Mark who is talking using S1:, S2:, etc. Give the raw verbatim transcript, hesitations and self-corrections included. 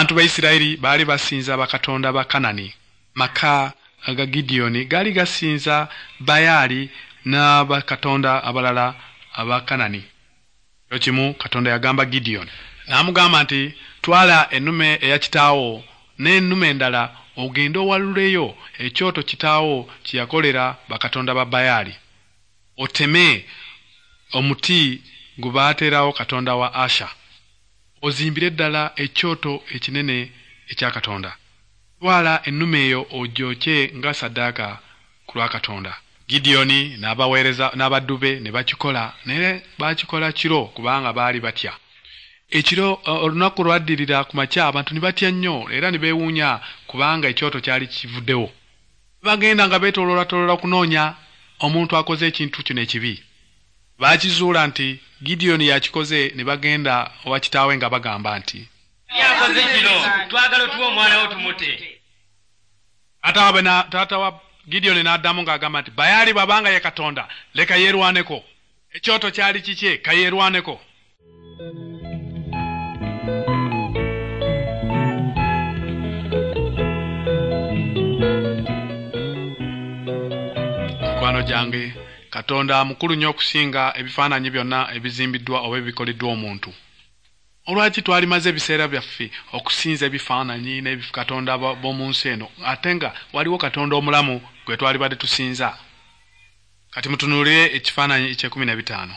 S1: Abantu ba Isirayiri baali basinza bakatonda ba Kanani. Maka aga Gidiyoni gaali gasinza Bayaali n'abakatonda abalala aba Kanani. Ekiro kimu Katonda yagamba Gidiyoni n'amugamba nti, twala ennume eya kitaawo n'ennume endala ogende owaluleyo ekyoto kitaawo kye yakolera bakatonda ba Bayaali, oteme omuti gwe baateerawo katonda wa Asha, ozimbire ddala ekyoto ekinene ekya Katonda. Twala ennume eyo ogyokye nga ssaddaaka ku lwa Katonda. Gidiyoni n'abaweereza n'abaddu be ne bakikola, naye baakikola kiro kubanga baali batya. Ekiro olunaku lwaddirira ku makya abantu ne batya nnyo era ne beewuunya kubanga ekyoto kyali kivuddewo. Bagenda nga beetooloolatoloola okunoonya omuntu akoze ekintu kino ekibi. Baakizuula nti Gidiyoni yakikoze ne bagenda owa kitaawe nga bagamba nti,
S2: yakoze kino, twagala otuwe omwana wo tumute.
S1: Taata wa Gidiyoni n'addamu ng'agamba nti, Bayaali bw'abanga ye Katonda, leka yeerwaneko. Ekyoto kyali kikye, ka yeerwaneko. Mikwano gyange, Katonda mukulu nnyo okusinga ebifaananyi byonna ebizimbiddwa oba ebikoleddwa omuntu. Olwaki twalimaze ebiseera byaffe okusinza ebifaananyi n'ebikatonda b'omu nsi eno, ate nga waliwo Katonda omulamu gwe twalibadde tusinza? Kati mutunuulire ekifaananyi eky'ekkumi n'ebitaano.